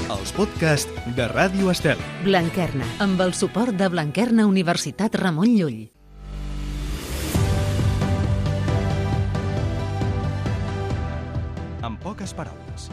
els podcasts de Ràdio Estel. Blanquerna, amb el suport de Blanquerna Universitat Ramon Llull. En poques paraules.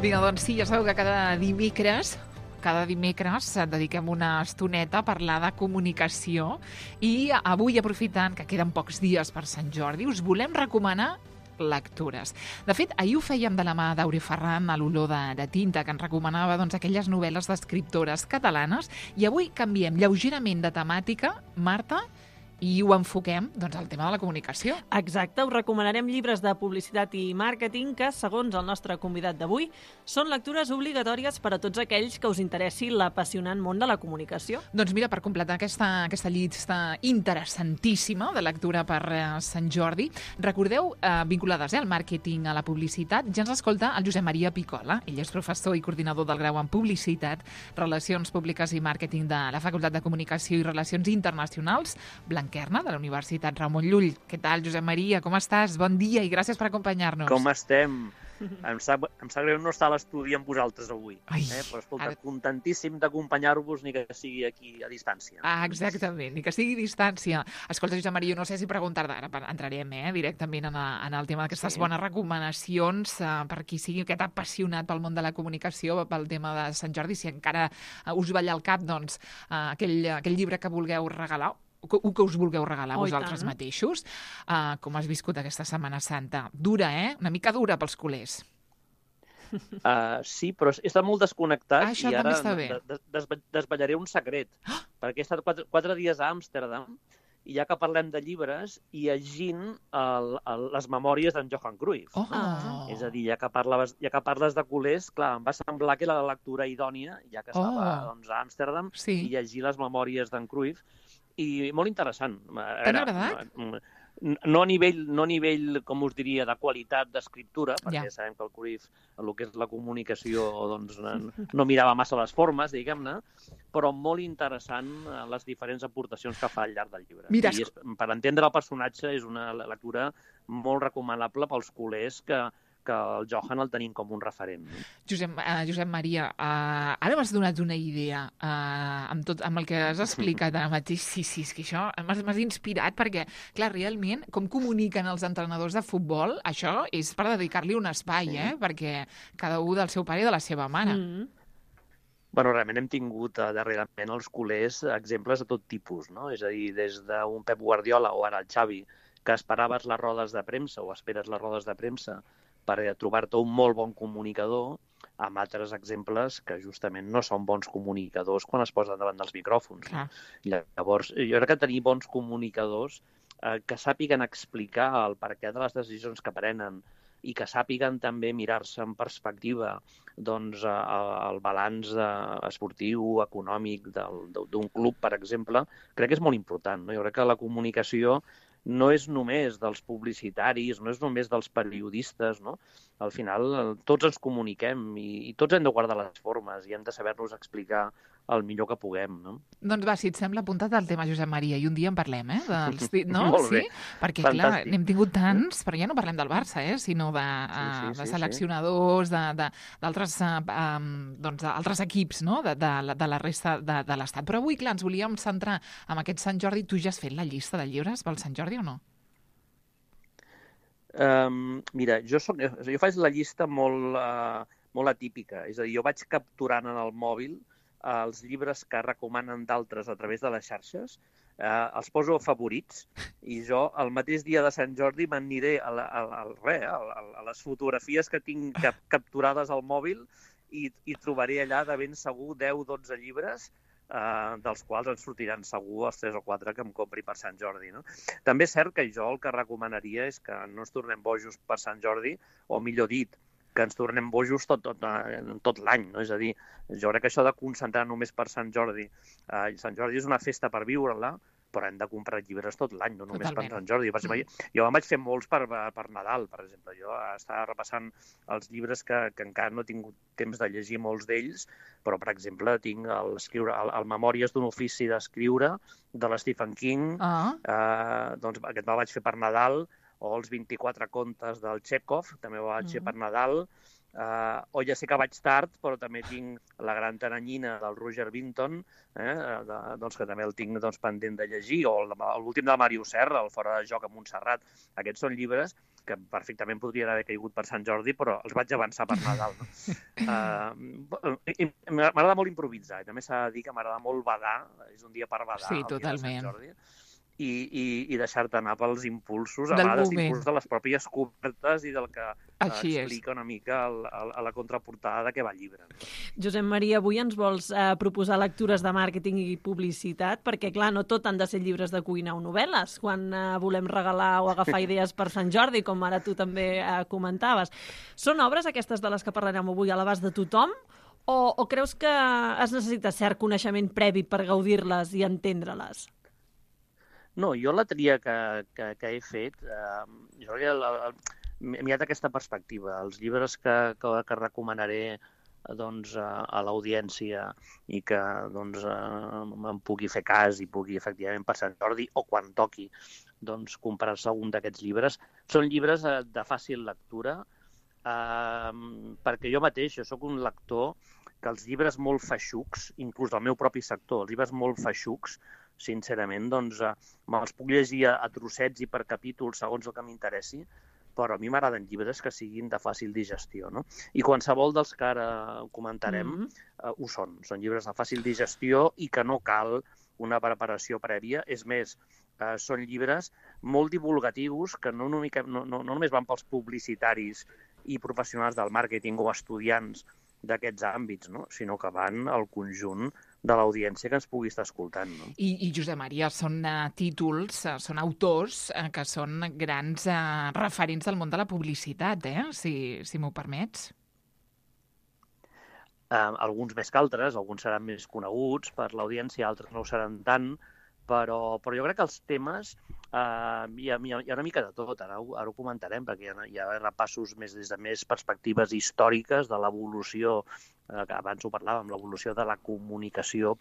Vinga, doncs sí, ja sabeu que cada dimecres dediquem una estoneta a parlar de comunicació i avui, aprofitant que queden pocs dies per Sant Jordi, us volem recomanar lectures. De fet, ahir ho fèiem de la mà d'Auri Ferran a l'olor de tinta, que ens recomanava aquelles novel·les d'escriptores catalanes, i avui canviem lleugerament de temàtica, Marta, i ho enfoquem al tema de la comunicació. Exacte, us recomanarem llibres de publicitat i màrqueting que, segons el nostre convidat d'avui, són lectures obligatòries per a tots aquells que us interessi l'apassionant món de la comunicació. Doncs mira, per completar aquesta llista interessantíssima de lectura per Sant Jordi, recordeu, vinculades al màrqueting, a la publicitat, ja ens escolta el Josep Maria Picola. Ell és professor i coordinador del grau en Publicitat, Relacions Públiques i Màrqueting de la Facultat de Comunicació i Relacions Internacionals, Blanquerna, de la Universitat Ramon Llull. Què tal, Josep Maria? Com estàs? Bon dia i gràcies per acompanyar-nos. Com estem? Em sap greu no estar a l'estudi amb vosaltres avui. Però escolta, contentíssim d'acompanyar-vos, ni que sigui aquí a distància. Exactament, ni que sigui a distància. Escolta, Josep Maria, no sé si preguntar-te, ara entrarem directament en el tema d'aquestes bones recomanacions per qui sigui aquest apassionat pel món de la comunicació, pel tema de Sant Jordi, si encara us balla al cap aquell llibre que vulgueu regalar, o que us vulgueu regalar vosaltres mateixos. Com has viscut aquesta Setmana Santa? Dura, Una mica dura pels culers. Sí, però he estat molt desconnectat i ara desvetllaré un secret. Perquè he estat 4 dies a Amsterdam i ja que parlem de llibres, i llegint les memòries d'en Johan Cruyff. És a dir, ja que parles de culers, clar, em va semblar que era la lectura idònia, ja que estava a Amsterdam, i llegir les memòries d'en Cruyff. I molt interessant. T'han agradat? No a nivell, com us diria, de qualitat d'escriptura, perquè sabem que el Cruyff, el que és la comunicació, no mirava massa les formes, diguem-ne, però molt interessant les diferents aportacions que fa al llarg del llibre. I per entendre el personatge és una lectura molt recomanable pels culers que el Johan el tenim com un referent. Josep Maria, ara m'has donat una idea amb el que has explicat ara mateix. Sí, és que això m'has inspirat perquè, clar, realment, com comuniquen els entrenadors de futbol, això és per dedicar-li un espai, perquè cada un del seu pare i de la seva mare. Bueno, realment hem tingut darrerament els culers exemples de tot tipus, no? És a dir, des d'un Pep Guardiola o ara el Xavi, que esperaves les rodes de premsa o esperes les rodes de premsa per trobar-te un molt bon comunicador, amb altres exemples que justament no són bons comunicadors quan es posen davant dels micròfons. Llavors, jo crec que tenir bons comunicadors que sàpiguen explicar el perquè de les decisions que prenen i que sàpiguen també mirar-se en perspectiva el balanç esportiu, econòmic d'un club, per exemple, crec que és molt important. Jo crec que la comunicació no és només dels publicitaris, no és només dels periodistes, no? Al final tots ens comuniquem i tots hem de guardar les formes i hem de saber-nos explicar el millor que puguem, no? Doncs va, si et sembla, apunta't al tema, Josep Maria, i un dia en parlem, no? Molt bé. Perquè, clar, n'hem tingut tants, però ja no parlem del Barça, sinó de seleccionadors, d'altres equips, no?, de la resta de l'Estat. Però avui, clar, ens volíem centrar en aquest Sant Jordi. Tu ja has fet la llista de llibres pel Sant Jordi o no? Mira, jo faig la llista molt atípica. És a dir, jo vaig capturant en el mòbil els llibres que recomanen d'altres a través de les xarxes, els poso favorits i jo el mateix dia de Sant Jordi m'aniré a les fotografies que tinc capturades al mòbil i trobaré allà de ben segur 10-12 llibres dels quals ens sortiran segur els 3 o 4 que em compri per Sant Jordi. També és cert que jo el que recomanaria és que no ens tornem bojos per Sant Jordi, o millor dit, que ens tornem bojos tot l'any, no? És a dir, jo crec que això de concentrar només per Sant Jordi, Sant Jordi és una festa per viure-la, però hem de comprar llibres tot l'any, no només per Totalment. Sant Jordi. Per exemple, jo em vaig fer molts per Nadal, per exemple. Jo estava repassant els llibres que encara no he tingut temps de llegir molts d'ells, però, per exemple, tinc el Memòries d'un ofici d'escriure de l'Stephen King, doncs aquest me'l vaig fer per Nadal, o els 24 contes del Chekhov, també ho vaig fer per Nadal, o ja sé que vaig tard, però també tinc La gran taranyina del Roger Vinton, doncs que també el tinc pendent de llegir, o l'últim del Màrius Serra, el Fora de joc a Montserrat. Aquests són llibres que perfectament podrien haver caigut per Sant Jordi, però els vaig avançar per Nadal. M'agrada molt improvisar, i també s'ha de dir que m'agrada molt badar, és un dia per badar, Sí, el dia de totalment. Sant Jordi. I deixar-te anar pels impulsos, a Del vegades moment. impulsos de les pròpies cobertes i del que Així és. explica una mica a la contraportada de què va el llibre. Josep Maria, avui ens vols proposar lectures de màrqueting i publicitat, perquè, clar, no tot han de ser llibres de cuina o novel·les, quan volem regalar o agafar idees per Sant Jordi, com ara tu també comentaves. Són obres, aquestes de les que parlarem avui, a l'abast de tothom, o creus que es necessita cert coneixement previ per gaudir-les i entendre-les? No, jo la tria que he fet, jo crec que he mirat aquesta perspectiva. Els llibres que recomanaré doncs, a l'audiència i que doncs, em pugui fer cas i pugui efectivament per Sant Jordi o quan toqui doncs, comprar-se algun d'aquests llibres, són llibres de fàcil lectura, perquè jo mateix, jo sóc un lector que els llibres molt feixucs, inclús del meu propi sector, els llibres molt feixucs, sincerament, doncs me'ls puc llegir a trossets i per capítols segons el que m'interessi, però a mi m'agraden llibres que siguin de fàcil digestió, no? I qualsevol dels que ara comentarem ho són. Són llibres de fàcil digestió i que no cal una preparació prèvia. És més, són llibres molt divulgatius que no només van pels publicitaris i professionals del màrqueting o estudiants d'aquests àmbits, no? Sinó que van al conjunt de l'audiència que ens pugui estar escoltant. No? I Josep Maria, són títols, són autors que són grans referents del món de la publicitat, si m'ho permets. Alguns més que altres, alguns seran més coneguts per l'audiència, altres no ho seran tant, però jo crec que els temes hi ha una mica de tot, ara ho comentarem, perquè hi ha repassos des de més perspectives històriques de l'evolució, que abans ho parlàvem, l'evolució de la comunicació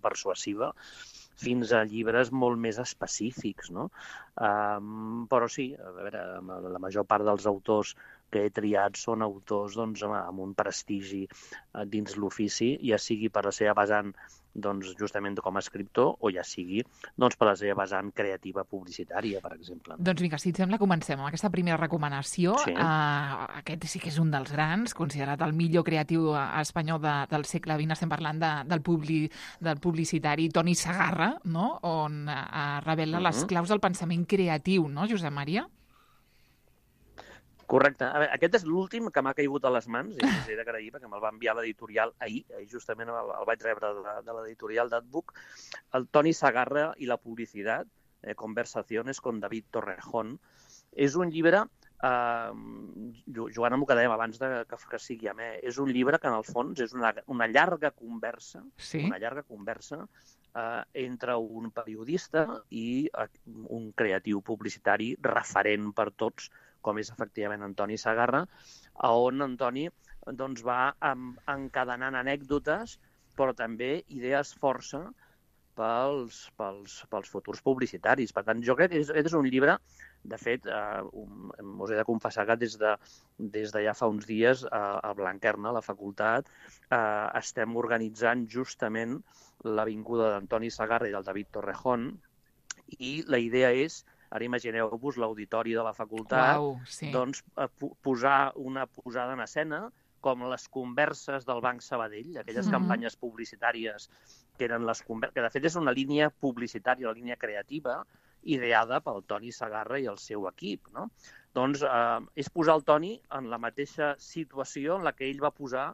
persuasiva, fins a llibres molt més específics, no? Però sí, a veure, la major part dels autors que he triat són autors doncs, amb un prestigi dins l'ofici, ja sigui per la seva vessant doncs, justament com a escriptor o ja sigui doncs, per la seva vessant creativa publicitària, per exemple. Doncs vinga, si et sembla, comencem amb aquesta primera recomanació. Sí. Aquest sí que és un dels grans, considerat el millor creatiu espanyol del segle XX. Estem parlant del publicitari Toni Segarra, no? On revela les claus del pensament creatiu, no, Josep Maria? Correcte. A veure, aquest és l'últim que m'ha caigut a les mans, i us he d'agrair perquè me'l va enviar l'editorial ahir justament el vaig rebre de l'editorial d'Adbook, el Toni Segarra i la publicitat, Conversaciones con David Torrejón. És un llibre, Joan, amb el que dèiem abans que sigui amè, és un llibre que en el fons és una llarga conversa, entre un periodista i un creatiu publicitari referent per tots, com és efectivament Antoni Segarra, on Antoni doncs, va encadenant anècdotes, però també idees força pels futurs publicitaris. Per tant, jo crec que és un llibre, de fet, us he de confessar que des de ja fa uns dies a Blanquerna, a la facultat, estem organitzant justament l'avinguda d'Antoni Segarra i del David Torrejón, i la idea és, ara imagineu-vos l'auditori de la facultat, doncs posar una posada en escena com les converses del Banc Sabadell, aquelles campanyes publicitàries que eren les converses, que de fet és una línia publicitària, una línia creativa, ideada pel Toni Segarra i el seu equip, no? Doncs és posar el Toni en la mateixa situació en la que ell va posar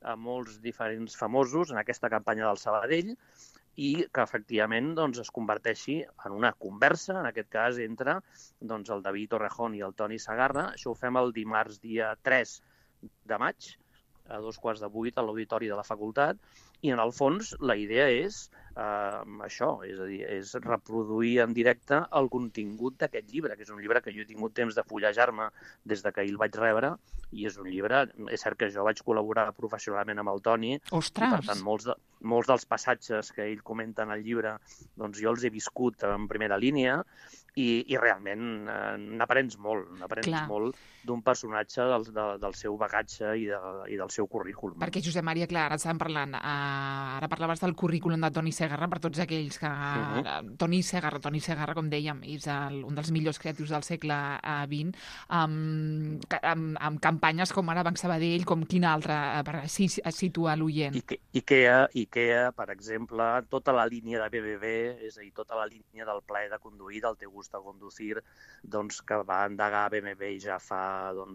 a molts diferents famosos en aquesta campanya del Sabadell, i que efectivament doncs, es converteixi en una conversa, en aquest cas entre doncs, el David Torrejón i el Toni Segarra. Això ho fem el dimarts dia 3 de maig, a 7:15 a l'auditori de la facultat, i en el fons la idea és això, és a dir, és reproduir en directe el contingut d'aquest llibre, que és un llibre que jo he tingut temps de fullejar-me des de que el vaig rebre, i és un llibre, és cert que jo vaig col·laborar professionalment amb el Toni, Ostres! i per tant molts dels passatges que ell comenta en el llibre, doncs jo els he viscut en primera línia, i realment n'aprens molt d'un personatge del seu bagatge i del seu currículum. Perquè, Josep Maria, clar, ara estàvem parlant, ara parlaves del currículum de Toni Segarra, per tots aquells que... Toni Segarra, com dèiem, és un dels millors creatius del segle XX, amb campanyes com ara Banc Sabadell, com quina altra, per així es situa l'oient. Ikea, per exemple, tota la línia de BBB, és a dir, tota la línia del plaer de conduir, del Te gusta conducir, doncs, que va endegar BBB ja fa 10,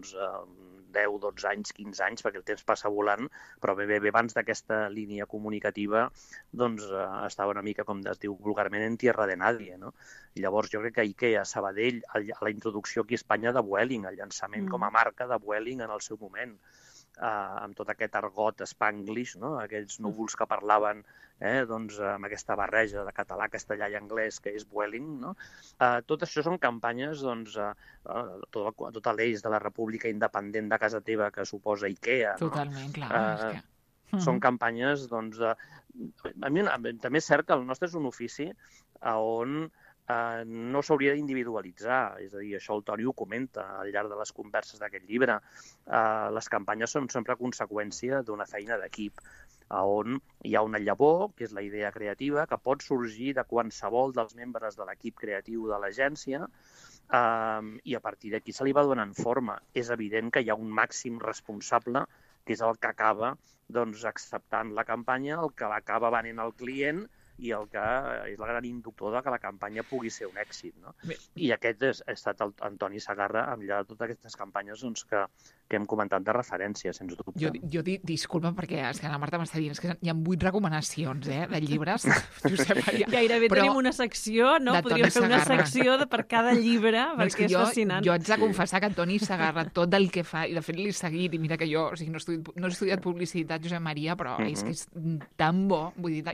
12 anys, 15 anys, perquè el temps passa volant, però BBB abans d'aquesta línia comunicativa doncs estava una mica, com es diu vulgarment, en tierra de nadie, no? I llavors jo crec que Ikea, Sabadell, la introducció aquí a Espanya de Vueling, el llançament com a marca de Vueling en el seu moment, amb tot aquest argot spanglish, no? Aquells núvols que parlaven doncs, amb aquesta barreja de català, castellà i anglès que és Vueling, no? Tot això són campanyes, doncs, tot l'eix de la República Independent de casa teva que suposa Ikea, no? Totalment, clar. Són campanyes, doncs... A mi també és cert que el nostre és un ofici on no s'hauria d'individualitzar, és a dir, això el Toni ho comenta al llarg de les converses d'aquest llibre. Les campanyes són sempre conseqüència d'una feina d'equip, on hi ha una llavor, que és la idea creativa, que pot sorgir de qualsevol dels membres de l'equip creatiu de l'agència, i a partir d'aquí se li va donant forma. És evident que hi ha un màxim responsable, que és el que acaba acceptant la campanya, el que l'acaba venent al client, i el que és el gran inductor de que la campanya pugui ser un èxit, no? I aquest ha estat el Toni Segarra amb de totes aquestes campanyes que hem comentat de referència, sens dubte. Jo disculpa, perquè és que la Marta m'està dient que hi ha 8 recomanacions de llibres. Josep Maria. Gairebé tenim una secció, no? Podríem fer una secció per cada llibre, perquè és fascinant. Jo haig de confessar que Toni Segarra, tot el que fa, i de fet l'he seguit, i mira que jo no he estudiat publicitat, Josep Maria, però és que és tan bo, vull dir,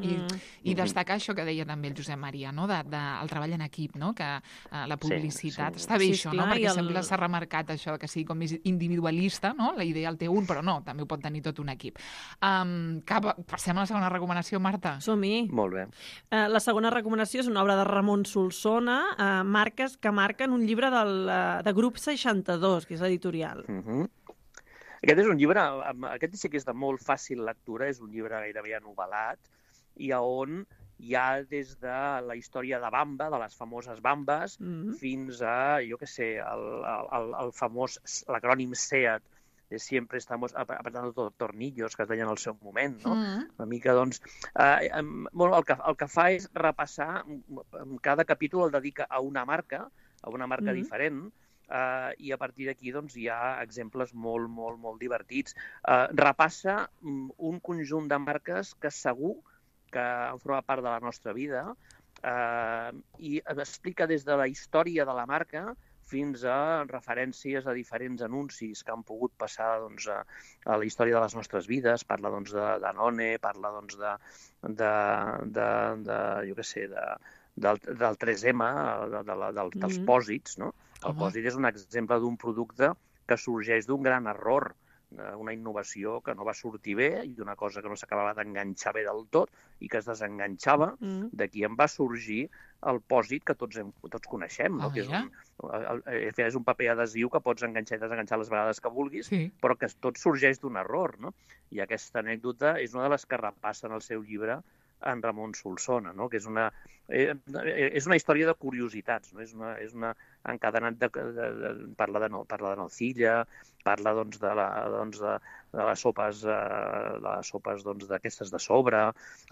i destacar això que deia també el Josep Maria, no? Del treball en equip, no? Que la publicitat està bé, això, no? Perquè sempre s'ha remarcat això, que sigui com més individualista, no? La idea el té un, però no, també ho pot tenir tot un equip. Passem a la segona recomanació, Marta. Som-hi. Molt bé. La segona recomanació és una obra de Ramon Solsona, Marques que marquen, un llibre de Grup 62, que és editorial. Aquest és un llibre, aquest sí que és de molt fàcil lectura, és un llibre gairebé anovel·lat, i on hi ha des de la història de Bamba, de les famoses Bambes, fins a, jo què sé, el famós, l'acrònim SEAT, sempre estamos apretando tornillos, que es deien al seu moment, no? Una mica, doncs... El que fa és repassar, cada capítol el dedica a una marca diferent, i a partir d'aquí doncs, hi ha exemples molt, molt, molt divertits. Repassa un conjunt de marques que segur que han format part de la nostra vida, i explica des de la història de la marca fins a referències a diferents anuncis que han pogut passar doncs, a la història de les nostres vides. Parla doncs, de Danone, parla doncs, jo què sé, del 3M, dels pòsits, no? El pòsit és un exemple d'un producte que sorgeix d'un gran error, una innovació que no va sortir bé i d'una cosa que no s'acabava d'enganxar bé del tot i que es desenganxava. D'aquí en va sorgir el pòsit que tots coneixem, no? Que és un paper adhesiu que pots enganxar i desenganxar les vegades que vulguis, però que tot sorgeix d'un error, no? I aquesta anècdota és una de les que repassa en el seu llibre en Ramon Solsona, no? Que és una història de curiositats, no? És una encadenat parla de nocilla, parla doncs, de les sopes d'aquestes de sobre.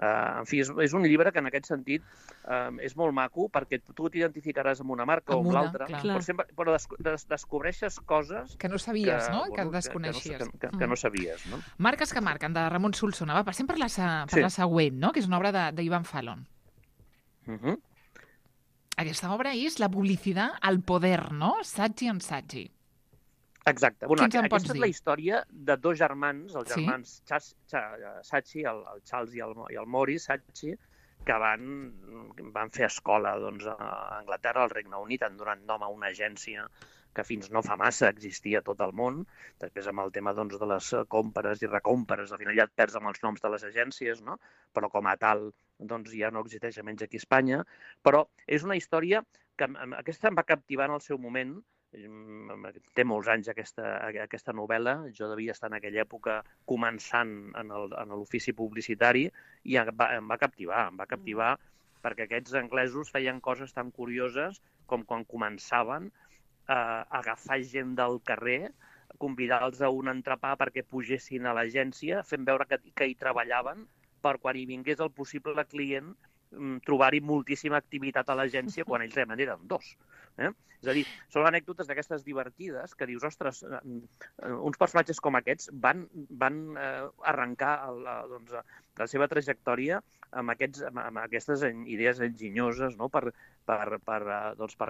En fi, és un llibre que en aquest sentit és molt maco perquè tu t'identificaràs amb una marca o amb l'altra, però descobreixes coses que no sabies, no? Que desconeixies. Que no sabies, no? Marques que marquen, de Ramon Solsona. Va, passem per la següent, no? Que és una obra d'Ivan Fallon. Aquesta obra és La publicitat al poder, no? Saggi and Saggi. Exacte. Aquesta és la història de dos germans, els germans Saggi, el Charles i el Maurice Saggi, que van fer escola doncs, a Anglaterra, al Regne Unit, han donat nom a una agència que fins no fa massa existia a tot el món. Després amb el tema doncs, de les compres i recompres, al final ja et perds amb els noms de les agències, no? Però com a tal doncs, ja no existeix almenys aquí a Espanya. Però és una història que aquesta em va captivar en el seu moment. Té molts anys aquesta novel·la. Jo devia estar en aquella època començant en l'ofici publicitari i em va captivar. Em va captivar perquè aquests anglesos feien coses tan curioses com quan començaven a agafar gent del carrer, convidar-los a un entrepà perquè pugessin a l'agència, fent veure que hi treballaven per quan hi vingués el possible client trobar-hi moltíssima activitat a l'agència quan ells realment eren dos. És a dir, són anècdotes d'aquestes divertides que dius, ostres, uns personatges com aquests van arrencar la seva trajectòria amb aquestes idees enginyoses, no? per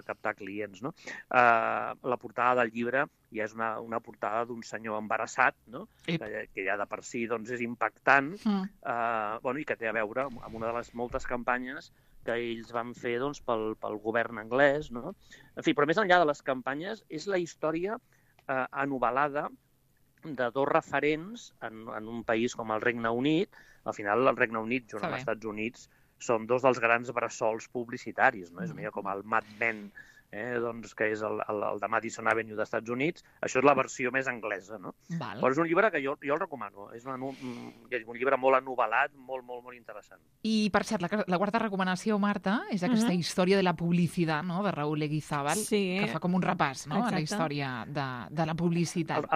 captar clients. No? La portada del llibre ja és una portada d'un senyor embarassat, no? Que ja de per si és impactant i que té a veure amb una de les moltes campanyes que ells van fer pel govern anglès. No? En fi, però més enllà de les campanyes, és la història anovel·lada de dos referents en un país com el Regne Unit. Al final, el Regne Unit, junt amb els Estats Units, són dos dels grans bressols publicitaris. No? És una mica com el Mad Men, que és el de Madison Avenue dels Estats Units. Això és la versió més anglesa. No? Però és un llibre que jo el recomano. És un llibre molt anovel·lat, molt, molt, molt interessant. I, per cert, la quarta recomanació, Marta, és aquesta història de la publicitat, no?, de Raúl Leguizábal, que fa com un repàs, no?, a la història de la publicitat.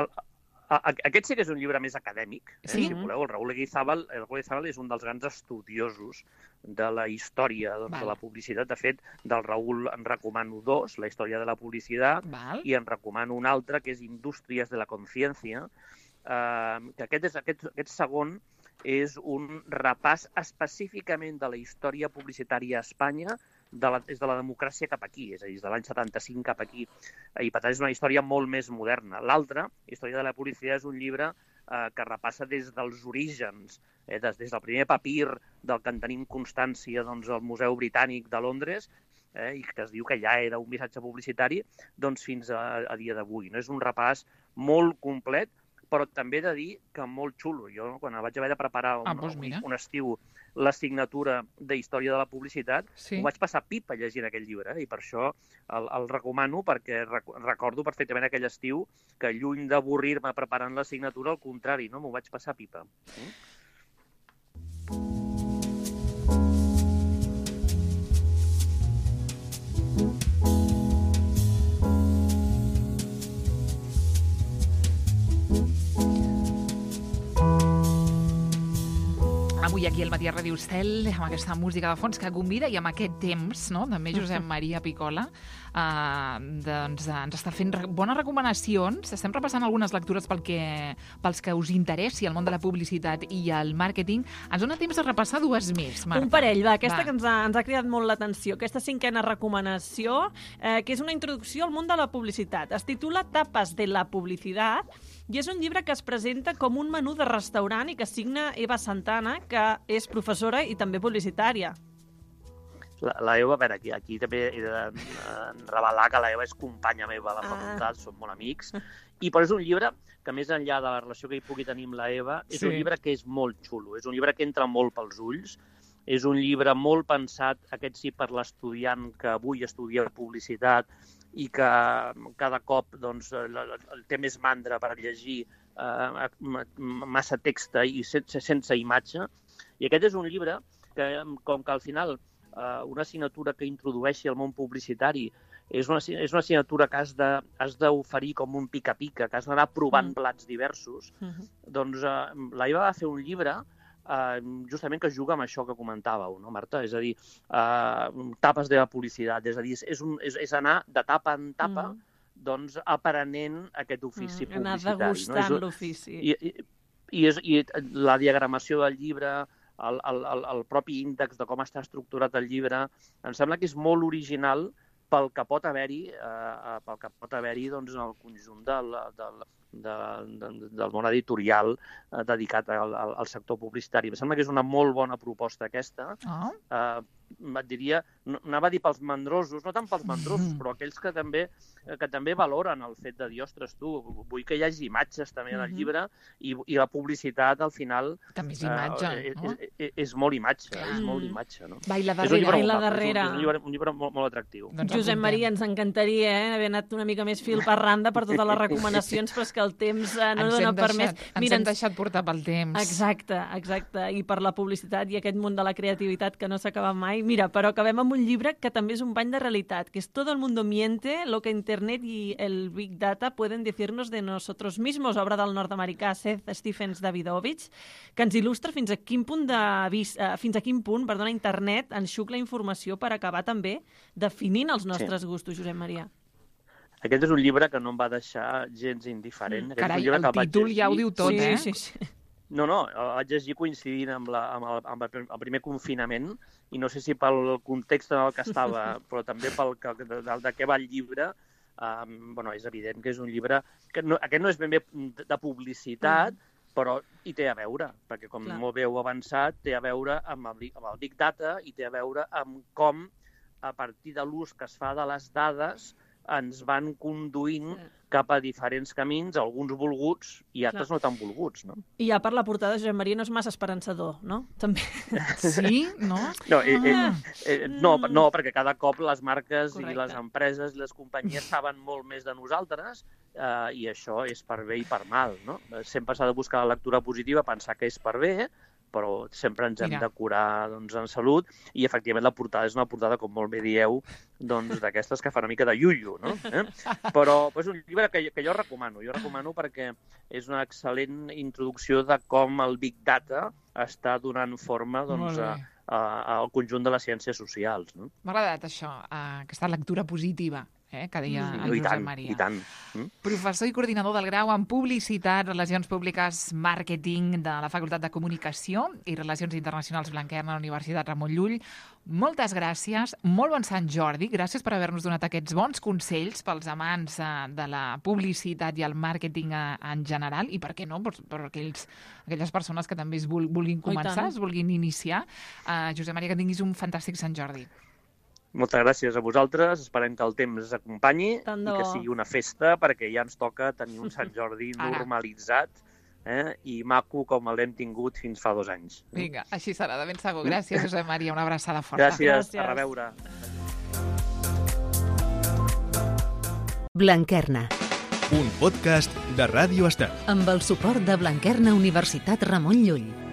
Aquest sí que és un llibre més acadèmic, si voleu. El Raúl Leguizábal és un dels grans estudiosos de la història de la publicitat. De fet, del Raúl en recomano dos, la història de la publicitat, i en recomano un altre, que és Indústries de la Conciencia, que aquest segon és un repàs específicament de la història publicitària a Espanya, és de la democràcia cap aquí, és a dir, de l'any 75 cap aquí, i per tant és una història molt més moderna. L'altre, Història de la publicitat, és un llibre que repassa des dels orígens, des del primer papir del que en tenim constància al Museu Britànic de Londres, i que es diu que ja era un missatge publicitari, fins a dia d'avui. És un repàs molt complet, però també he de dir que molt xulo. Jo, quan vaig haver de preparar un estiu l'assignatura d'Història de la Publicitat, ho vaig passar pipa llegint aquell llibre, i per això el recomano, perquè recordo perfectament aquell estiu que, lluny d'avorrir-me preparant l'assignatura, al contrari, m'ho vaig passar pipa. Avui aquí al Matí a Ràdio Estel, amb aquesta música de fons que convida i amb aquest temps, no?, també Josep Maria Picola, ens està fent bones recomanacions. Estem repassant algunes lectures pels que us interessi el món de la publicitat i el màrqueting. Ens dona temps de repassar dues més, Marta. Un parell, aquesta que ens ha cridat molt l'atenció. Aquesta cinquena recomanació, que és una introducció al món de la publicitat. Es titula Tapas de la publicitat, i és un llibre que es presenta com un menú de restaurant i que signa Eva Santana, que és professora i també publicitària. La Eva, a veure, aquí també he de revelar que la Eva és companya meva a la facultat, som molt amics, però és un llibre que, més enllà de la relació que hi pugui tenir amb la Eva, és un llibre que és molt xulo, és un llibre que entra molt pels ulls, és un llibre molt pensat, aquest sí, per l'estudiant que avui estudia publicitat i que cada cop té més mandra per llegir massa text i sense imatge. I aquest és un llibre que, com que al final una assignatura que introdueixi el món publicitari és una assignatura que has d'oferir com un pica-pica, que has d'anar provant plats diversos, doncs la Eva va fer un llibre justament que juga amb això que comentàveu, no, Marta? És a dir, tapes de la publicitat, és a dir, és anar de tapa en tapa aprenent aquest ofici publicitari. Anar degustant l'ofici. I la diagramació del llibre, el propi índex de com està estructurat el llibre, em sembla que és molt original pel que pot haver-hi en el conjunt del món editorial dedicat al sector publicitari. Em sembla que és una molt bona proposta aquesta. Et diria, anava a dir pels mandrosos, no tant pels mandrosos, però aquells que també valoren el fet de dir, ostres, tu, vull que hi hagi imatges també en el llibre i la publicitat, al final... També és imatge, no? És molt imatge, és molt imatge, no? Va, i la darrera. És un llibre molt atractiu. Doncs Josep Maria, ens encantaria haver anat una mica més fil per randa per totes les recomanacions, però és que el temps no dona per més. Ens hem deixat portar pel temps. Exacte. I per la publicitat i aquest món de la creativitat que no s'acaba mai. Mira, però acabem amb un llibre que també és un bany de realitat, que és Todo el mundo miente, lo que Internet y el Big Data pueden decirnos de nosotros mismos, obra del nord-americà Seth Stephens Davidovich, que ens il·lustra fins a quin punt Internet enxuc la informació per acabar també definint els nostres gustos, Josep Maria. Aquest és un llibre que no em va deixar gens indiferent. Carai, el títol ja ho diu tot, Sí. No, el vaig llegir coincidint amb el primer confinament i no sé si pel context en el que estava, però també de què va el llibre. És evident que és un llibre que aquest no és ben bé de publicitat, però hi té a veure, perquè com molt bé heu avançat, té a veure amb el Big Data i té a veure amb com, a partir de l'ús que es fa de les dades, ens van conduint cap a diferents camins, alguns volguts i altres no tan volguts, no? I ja per la portada, Josep Maria, no és massa esperançador, no? També. Sí? No? No, perquè cada cop les marques i les empreses i les companyies saben molt més de nosaltres i això és per bé i per mal, no? Sempre s'ha de buscar la lectura positiva, pensar que és per bé, però sempre ens hem de curar en salut i efectivament la portada és una portada, com molt bé dieu, d'aquestes que fa una mica de iuiu, no? Però és un llibre que jo recomano perquè és una excel·lent introducció de com el Big Data està donant forma al conjunt de les ciències socials. M'ha agradat això, aquesta lectura positiva que deia el Josep Maria. I tant. Professor i coordinador del grau en Publicitat, Relacions Públiques, Màrqueting de la Facultat de Comunicació i Relacions Internacionals Blanquerna a la Universitat Ramon Llull. Moltes gràcies, molt bon Sant Jordi, gràcies per haver-nos donat aquests bons consells pels amants de la publicitat i el màrqueting en general i, per què no, per aquelles persones que també es vulguin començar, es vulguin iniciar. Josep Maria, que tinguis un fantàstic Sant Jordi. Moltes gràcies a vosaltres, esperem que el temps ens acompanyi i que sigui una festa, perquè ja ens toca tenir un Sant Jordi normalitzat i maco com l'hem tingut fins fa 2 anys. Vinga, així serà, de ben segur. Gràcies, Josep Maria, una abraçada forta. Gràcies. A reveure. Blanquerna. Un podcast de Ràdio Estel. Amb el suport de Blanquerna Universitat Ramon Llull.